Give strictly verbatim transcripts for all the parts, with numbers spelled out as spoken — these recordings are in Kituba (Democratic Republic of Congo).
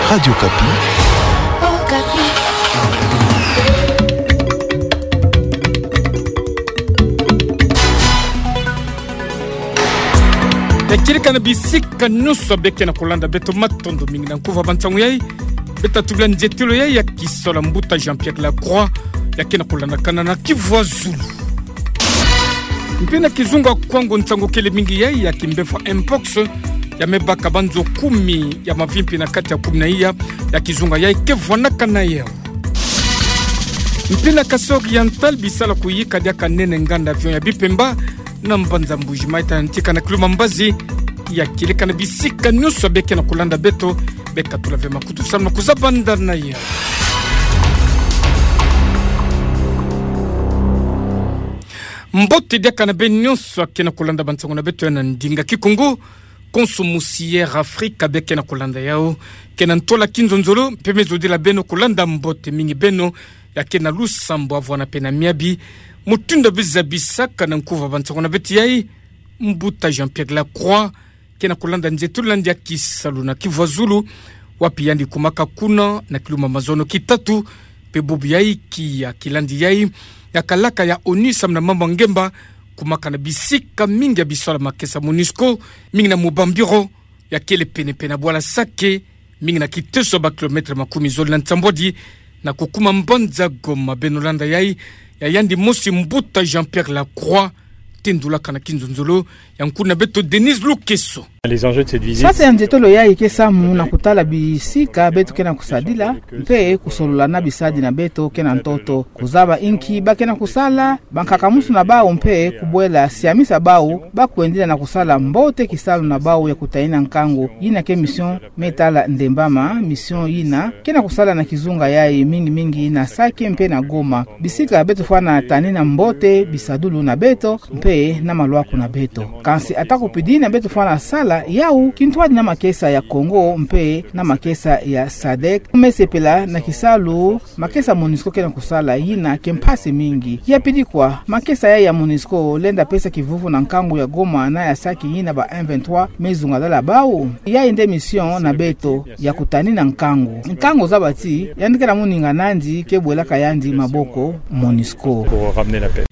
Radio Okapi. Ya kieleka na bisika nyonso beke na kolanda beto, matondo mingi na nkuva ba nsangu yai. Beta tubila nzietelo yai ya kisalu ya mbuta Jean-Pierre Lacroix, ya ke na kolandakana na Kivu ya zulu. Mpe na kizunga Kwango, nsangu kele mingi yai ya kimbefwa mpox ya me baka banzo kumi ya mavimpi na kati ya kumi na iya ya kizunga yai ke vwanakana yau. Mpe na Kasaï Oriental, bisalu kuyika diaka nene nganda avion ya bipemba na mbanza Mbuji-Mayi ta ntika na kilu ma mbazi. Ya kieleka na bisika nyonso beke na kolanda beto, beka tula ve makutu samu na kuzabandana yau. Mbote diaka na beno nyonso ake na kolanda ba nsangu na beto ya na ndinga Kikongo. Konso musi Air Africa beke na kolanda yau, ke na ntwala kinzonzolo, mpe me zodila beno kolanda mbote mingi beno ya ke na lusambu avwana mpe na miabi. Mutindu beno zabisaka na nkuva ba nsangu na beto yai, mbuta Jean-Pierre Lacroix ke na kolanda nzietelo na yandi ya kisalu na Kivu ya zulu, wapi yandi kumaka kuna na kilu ma mazono kitatu, mpe bubu yai kia kilandi yai ya kalaka ya ONU samu na mambu ya ngemba, kumaka na bisika mingi ya bisalu ya makesa MONUSCO, mingi na mu ba bureau ya kele penepene na bwala Sake, mingi na kiteso ya ba kilomètre makumi zole na nsambwadi, na kukuma mbanza Goma. Beno landa yai ya yandi mosi, mbuta Jean-Pierre Lacroix, tendulaka na kinzonzolo ya nkuna beto Denise Lukeso. Les enjeux de cette visite. Mpasi ya nzietolo yai ke samu na kutala bisika beto ke na kusadila, mpe kusolola na bisadi na beto ke na ntoto, kuzaba inki ba ke na kusala, bankaka-musu na bau, mpe kubwela siamisa bau ba kwendila na kusala mbote kisalu na bau ya kutanina nkangu. Yina ke mission me tala ndembama, mission yina ke na kusala na kizunga yai, mingi mingi na Sake mpe na Goma, bisika beto fwana tanina mbote bisadulu na beto mpe na malwaku na beto. Kansi ata kupidi yina beto fwana sala yau kintwadi na makesa ya Congo mpe na makesa ya sadec, me sepela na kisalu makesa MONUSCO ke na kusala, yina ke mpasi mingi. Ya pidi kwa, makesa yai ya MONUSCO lenda pesa kivuvu na nkangu ya Goma na ya Sake, yina ba M vingt-trois me zungadala bau? Yai nde mission na beto, ya kutanina nkangu. Nkangu zaba ti yandi ke na muninga nandi ke bwelaka yandi maboko MONUSCO. Pour ramener la paix.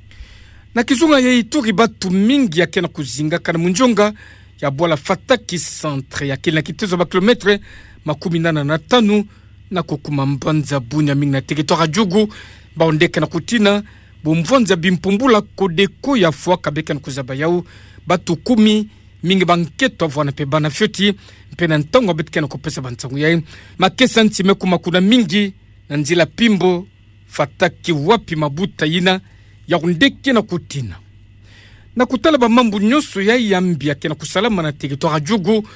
Na kizunga ya Ituri, batu mingi ya ke na kuzingaka na munzonga ya bwala Fataki Centre, ya kele na kiteso ya ba kilomètre makumi nana na tanu na kukuma mbanza Bunia, mingi na territoire ya Djugu, bau nde ke na kutina bu mvwanza bimpumbula Codeco ya fwaka. Beke na kuzaba yau, batu kumi, mingi ba nkento avwana mpe bana fioti, mpe na ntangu beto ke na kupesa ba nsangu yai, makesa nsi me kuma kuna mingi na nzila Pimbo Fataki, wapi mabuta yina yau nde ke na kutina. Na kutala ba mambu nyonso yai ya mbi ya ke na kusalama na territoire ya Djugu,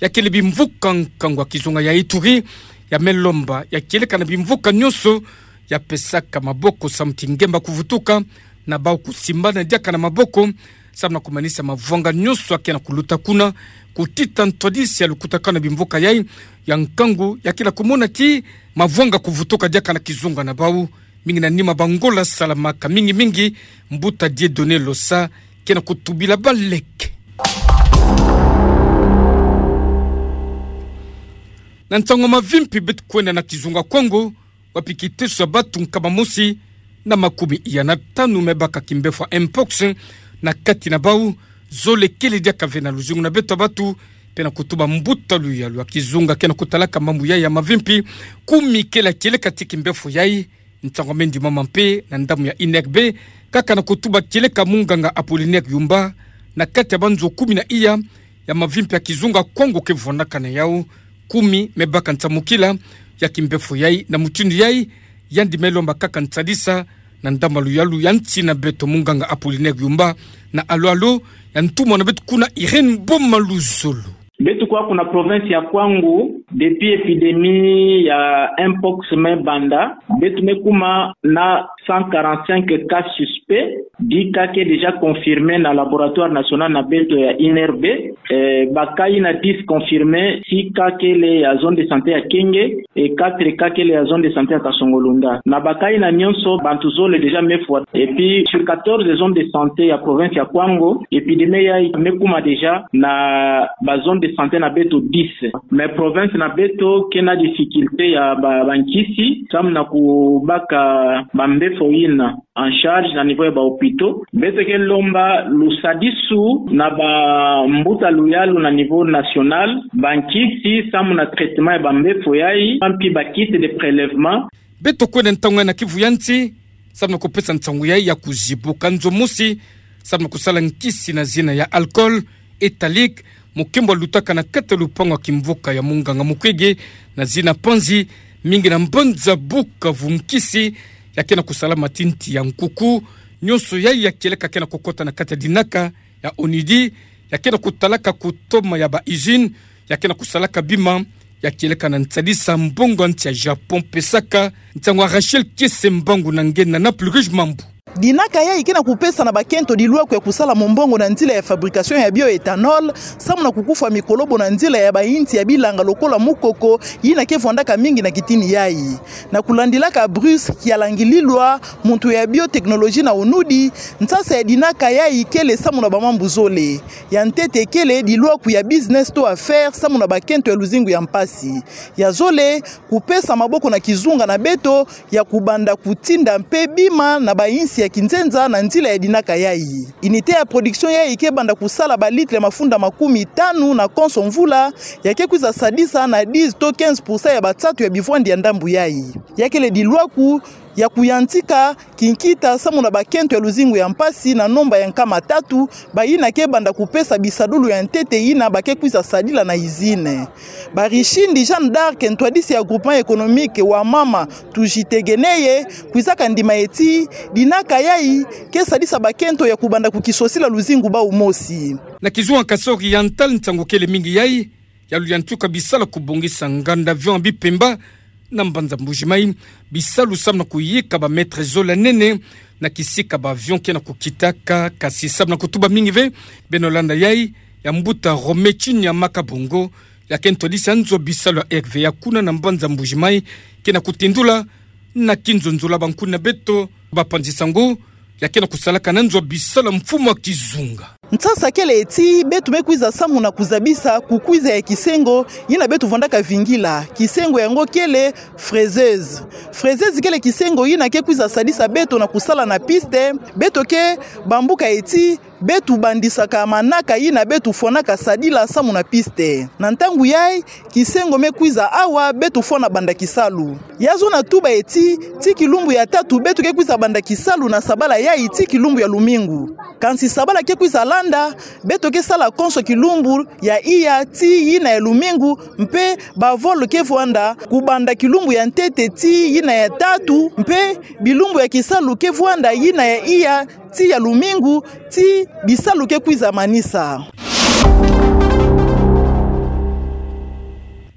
ya kele bimvuka nkangu ya kizunga ya Ituri, ya me lomba ya kieleka na bimvuka nyonso ya pesaka maboko samu ti ngemba kuvutuka, na bau kusimbana diaka na maboko samu na kumanisa mavwanga nyonso ya ke na kuluta kuna, kutita ntwadisi ya lukutakanu na bimvuka yai ya nkangu, ya ke na kumona ti mavwanga kuvutuka diaka na kizunga na bau, mingi na nima ba ngola salamaka, mingi mingi mbuta Dieudonné Losa ke na kutubila bau leke. Na nsangu ya mavimpi, beto kwenda na kizunga Kwango, wapi kiteso ya batu nkama mosi na makumi iya na tanu me baka kimbefwa mpox na kati na bau. Zole kele diaka ve na luzingu na beto ya batu, mpe na kutuba mbuta Luyalu ya kizunga ke na kutalaka mambu yai ya mavimpi, kumi kele ya kieleka ti kimbefwa yai. Nsangu me ndimama mpe na ndambu ya I N R B, kaka na kutuba kieleka munganga Apollinaire Yumba, na kati ya banzo kumi na iya ya mavimpi ya kizunga Kwango ke vwanakana yau, kumi me baka nsamukila ya kimbefwa yai. Na mutindu yai, yandi me lomba kaka nsadisa na ndambu ya Luyalu ya nsi na beto, munganga Apollinaire Yumba, na alo alo ya ntumwa na beto kuna Irène Boma Luzolo. Beto kwa kuna province ya Kwango, depuis épidémie ya mpox me banda, beto me kuma na cent quarante-cinq cas suspects, dix cas ke déjà confirmés na laboratoire national na beto ya I N R B. Eh, ba cas yina dix confirmés, six cas kele ya zone de santé ya Kenge, et quatre cas kele ya zone de santé ya Kasongo-Lunda. Na ba cas yina nyonso, bantu zole déjà me fwa. Et puis, sur quatorze zones de santé ya province ya Kwango, épidémie yai me kuma déjà na ba zones de santé na beto dix. Mais province na Beto ke na difficulté ya ba, bankisi, samu na kubaka bambefo yina en charge na niveau ya ba hôpitaux. Beto ke lomba lusadisu na bambuta luyalu na niveau national, bankisi samu na traitement ya bambefo yayi, mpi ba kits de prélèvement. Beto kwenda ntangu na kivu ya nsi, samu na kupesa nsangu yayi ya kuzibuka nzo mosi, samu na kusala nkisi na zina ya alcool éthylique, mokembo lutaka na kati ya lupangu ya kimvuka ya munganga mokwege, na zina panzi, mingi na mbanza Bukavu nkisi ya ke na kusala matinti ya nkuku, nyonso yayi ya kieleka ke na kukota na kati ya dinaka ya ONUDI, ya ke na kutalaka kutoma ya ba usine, ya ke na kusalaka bima, ya kieleka na nsadisa mbongo ya nsi ya Japon pesaka, nsangu ya Rachel Kiese Mbangu na nge na Naples Rouge Mambu. Dinaka yayi ke na kupesa na bakento dilwaku ya kusala mombongo na nzila ya fabrication ya bioéthanol, samu na kukufwa mikolobo na nzila ya bayinsi ya bilanga lokola mukoko, yina ke vwandaka mingi na kitini yayi. Na kulandilaka Bruce Kialangililwa, muntu ya biotechnologie na ONUDI, nsasa ya dinaka yayi kele samu na bamambu zole. Ya ntete kele dilwaku ya business to affaires samu na bakento ya luzingu ya mpasi. Ya zole, kupesa maboko na kizunga na beto ya kubanda kutinda mpe bima na bayinsi ya kinzenza na nzila ya dinaka yayi. Unité ya production yayi ke banda kusala ba litre mafunda makumi tanu na konso mvula, ya ke kwiza sadisa na dix to quinze pour cent ya bansatu ya bivwandi ya ndambu yayi. Ya kele dilwaku ya kuyantika kinkita samu na bakento ya luzingu ya mpasi na nomba ya nkama tatu, bayina ke banda kupesa bisadulu ya ntete yina ba ke kwiza sadila na usine. Barishindi Jeanne d'Arc, ntwadisi ya groupement économique Wamama Tujitegemee, kwizaka ndima ti dinaka yayi ke sadisa bakento ya kubanda kukisosila luzingu bawu mosi. Na kizunga Kasaï Oriental, nsangu kele mingi yayi ya luyantika bisalu ya kubongisa nganda avion ya bipemba na mbanza Mbuji-Mayi, bisalu samu na kuyika ba mètre zole ya nene na kisika ba avion ke na kukitaka, kasi samu na kutuba mingi ve. Beno landa yayi ya mbuta Romain Chinia Makabongo, ya ke ntwadisi ya nzo bisalu ya R V A kuna na mbanza Mbuji-Mayi, ke na kutindula na kinzonzolo ya bankuni na beto bapanzi nsangu, ya ke na kusalaka na nzo bisalu ya mfumu ya kizunga. Nsasa kele ti beto me kwiza samu na kuzabisa kukwiza ya kisengo yina beto vwandaka vingila. Kisengo yango kele fraiseuse. Fraiseuse kele kisengo yina ke kwiza sadisa beto na kusala na piste. Beto ke bambuka ti beto bandisaka manaka yina beto fwanaka sadila samu na piste. Na ntangu yayi, kisengo me kwiza awa beto fwana banda kisalu. Ya zona tuba ti, ti kilumbu ya tatu beto ke kwiza banda kisalu na sabala yayi ti kilumbu ya lumingu. Kansi sabala ke kwiza landa, beto ke sala konso kilumbu ya iya ti yina ya lumingu, mpe ba vol ke vwanda kubanda kilumbu ya ntete ti yina ya tatu, mpe bilumbu ya kisalu ke vwanda yina ya iya ti ya lumingu, ti bisalu ke kwiza manisa.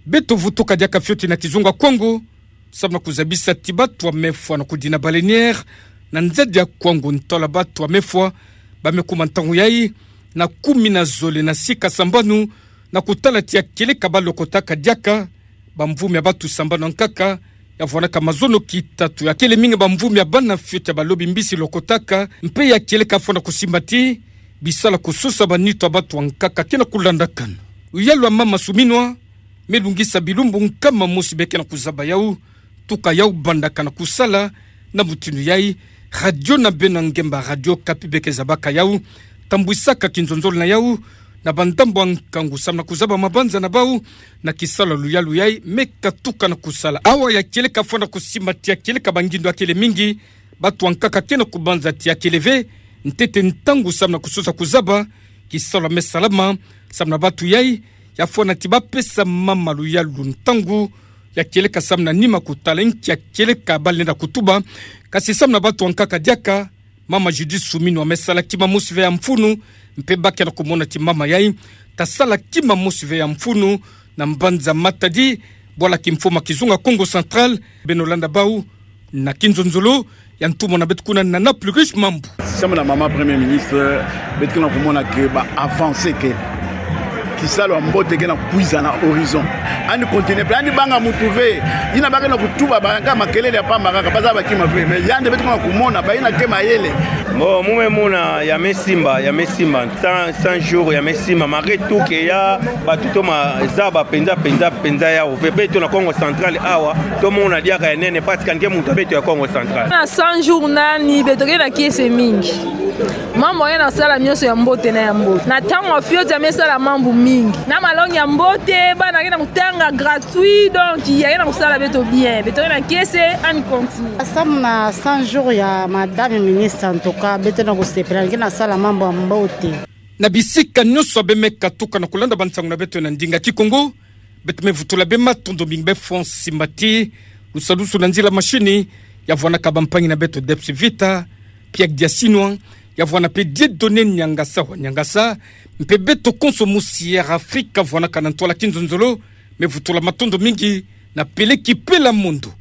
Beto vutuka diaka fioti na kizunga Kongo, samu na kuzabisa ti bato ya mefwa na kudina baleinière na nzadi ya Kwango, ntola bato ya mefwa ba me kuma ntangu yayi na kumi na zole na sika sambanu, na kutala ti ya kieleka ba lokotaka diaka bamvumi ya bato sambanu ya nkaka, ya vwanaka mazono ki tatu, ya kele mingi bamvumi ya bana fioti ya balobi mbisi lokotaka, mpe ya kieleka fwana kusimba ti bisalu ya kusosa banitu ya bato ya nkaka ke na kulandakana. Luyalu ya mama Suminwa me lungisa bilumbu nkama mosi be ke na kuzaba yawu, tuka yawu bandaka na kusala na mutindu yayi. Radio na beno ya ngemba, Radio Okapi, be ke zabaka yawu, tambwisaka kinzonzolo na yawu na bandambu ya nkangu samu na kuzaba mabanza na bawu na kisalu ya luyalu yayi me katuka na kusala. Awa ya kieleka fwana kusimba ti ya kieleka bangindu ya kele mingi, bato ya nkaka ke na kubanza ti ya kele ve ntete ntangu samu na kusosa kuzaba kisalu ya me salama samu na bato yayi. Ya fwana ti ba pesa mama luyalu ntangu ya kieleka samu na nima kutala nki ya kieleka ba lenda kutuba, kasi samu na bato ya nkaka diaka. Mama Judith Suminwa me sala kima mosi ve ya mfunu, mpe ba ke na kumona ti mama yayi ta sala kima mosi ve ya mfunu na mbanza Matadi, bwala kimfumu ya kizunga Kongo Central. Beno landa bawu na kinzonzolo ya ntumwa na beto kuna na Naples Rouge Mambu. Samu na mama Premier Ministre, beto ke na kumona ke ba avancées ke Kisalu ya mbote ke na kwiza na horizon. Yandi continue pe, yandi banga mutu ve. Yina ba ke na kutuba ba kaka makelele ya pamba kaka, bazaba kima ve. Mais yandi beto ke na kumona, bayina ke mayele. Bon, mu me mona, ya me simba, ya me simba. Cent, cent jours, ya me simba. Malgré tout que ya, bato toma zaba penza, penza, penza yawu ve. Beto na Kongo Central awa, tomona diaka ya nene, parce que yandi ke mutu ya beto ya Kongo Central. Na cent jours nani, beto ke na kiese mingi. Mambu yandi ke na sala nyonso ya mbote na ya mbote. Na ntangu ya fioti yandi me sala mambu mingi. Na malongi ya mbote, bana ke na kutanga gratuit, donc yandi ke na kusala beto bien. Beto ke na kiese, yandi continue. Samu na cent jours ya Madame Ministre, en tout cas, beto na kusepela, yandi ke na sala mambu ya mbote. Na bisika nyonso bê me katuka na kulanda bansangu na beto na ndinga Kikongo, beto me vutula bê matondo mingi bê Francis Mbati, lusalusu na nzila mashini, ya vwanaka bampangi na beto Debs Vita, Pierre Diasinwa, ya vwana pe Dieudonné Niangasa wa Niangasa, mpe beto konso mu Sierra Afrika vwanaka na ntwala kinzonzolo, me vutula matondo mingi na Peleki Pela Mondo.